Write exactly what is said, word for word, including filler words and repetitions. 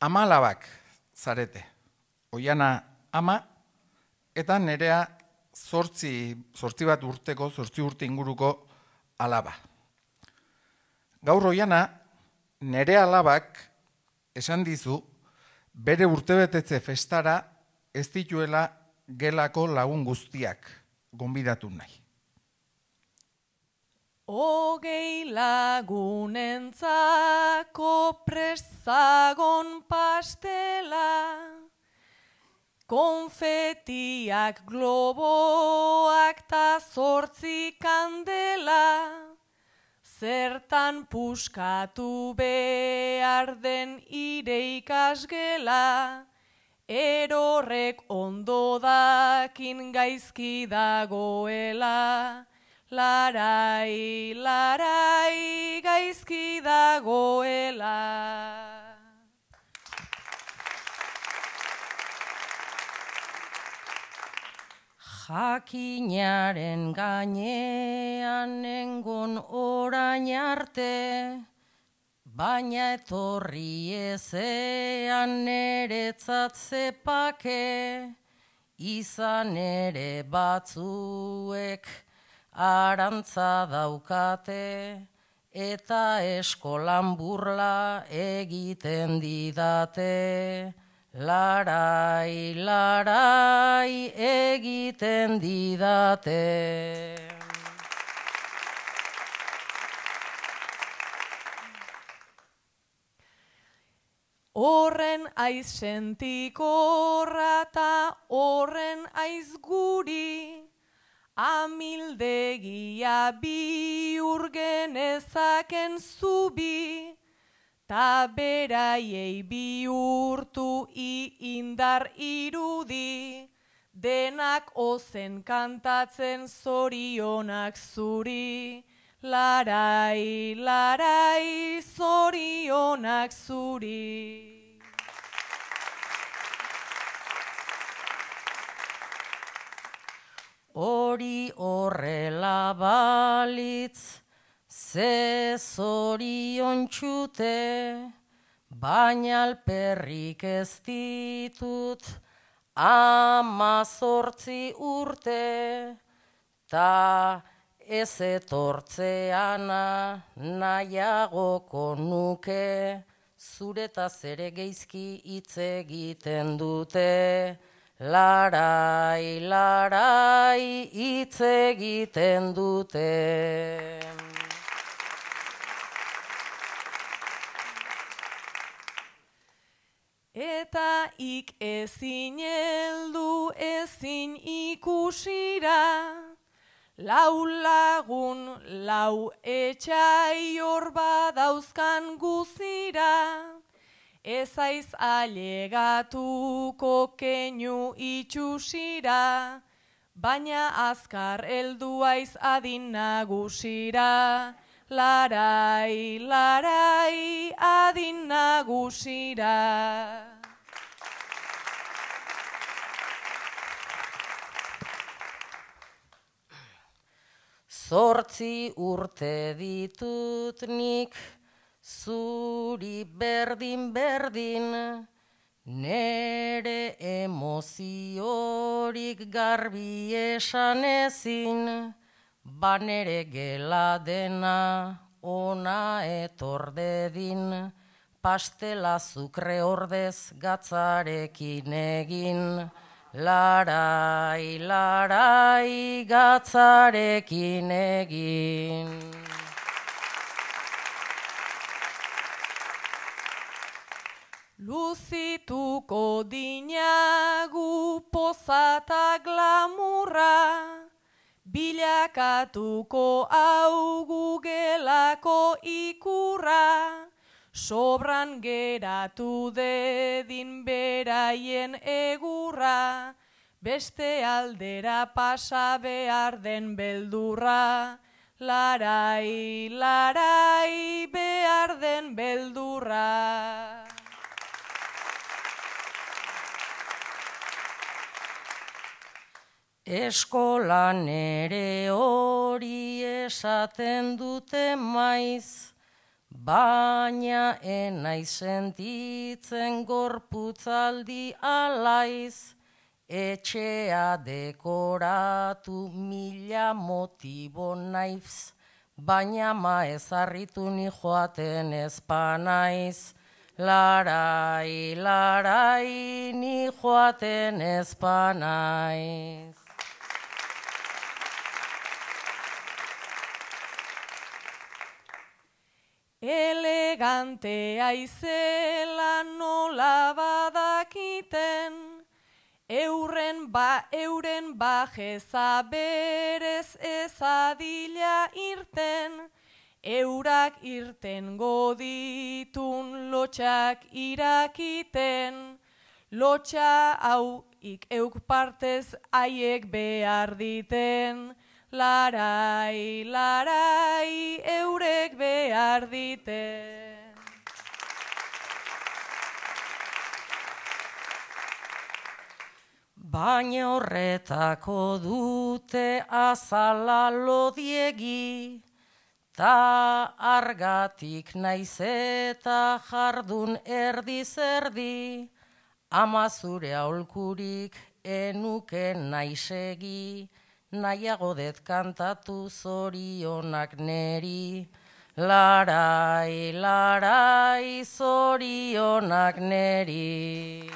Ama alabak zarete. Oiana ama eta Nerea zortzi, zortzi bat urteko, zortzi urte inguruko alaba. Gaur Oiana Nerea alabak esan dizu bere urtebetetze festara ez dituela gelako lagun guztiak gonbidatu nahi. Hogei lagunentzako prestagon pastela, konfetiak, globoak ta zortzi kandela, zertan puskatu behar den ire ikasgela, erorrek ondo dakin gaizki dagoela. Larai, larai, gaizki dagoela. Jakinaren gainean nengon orain arte, baina etorri ezean neretzat zepake, izan ere batzuek arantza daukate, eta eskolan burla egiten didate. Larai, larai, egiten didate. Horren aiz sentikorra ta horren aiz guri, amildegia bihur genezaken zubi, ta beraiei bihurtu i indar irudi, denak ozen kantatzen zorionak zuri. Larai, larai, zorionak zuri. Hori horrela balitz, ze zorion txute, baina alperrik ez ditut amazortzi urte, ta ez etortzeana nahiagoko nuke, zuretaz ere geizki hitz egiten dute. Larai, larai, hitz egiten dute. Eta ik ezin heldu ezin ikusira, lau lagun, lau etxai hor badauzkan guzira, ez aiz ailegatuko keinu itxusira, baina azkar heldu aiz adin nagusira. Larai, larai, adin nagusira. Zortzi urte ditut nik, zuri berdin berdin, nere emoziorik garbi esan ezin, ba nere gela dena ona etor dedin, pastela zukre ordez gatzarekin egin. Larai, larai, gatzarekin egin. Luzituko dinagu pozata glamurra, bilakatuko augu gelako ikurra, sobran geratu dedin beraien egurra, beste aldera pasa behar den beldurra. Larai, larai, behar den beldurra. Eskolan ere hori esaten dute maiz, baina enai sentitzen gorputzaldi alaiz, etxea dekoratu mila motibo naiz, baina ma ezarritu ni joaten ezpanaiz. Larai, larai, ni joaten ezpanaiz. Elegantea izela nola badakiten, euren ba euren bajeza berez ezadila irten, eurak irten goditun lotxak irakiten, lotxa hau ik euk partez haiek behar diten, larai, larai, eurek behar diten. Baina horretako dute azala lodiegi, ta argatik naiz eta jardun erdi-zerdi, ama zure aholkurik enuke naisegi, nahiago det kantatu zorionak neri. Larai, larai, zorionak neri.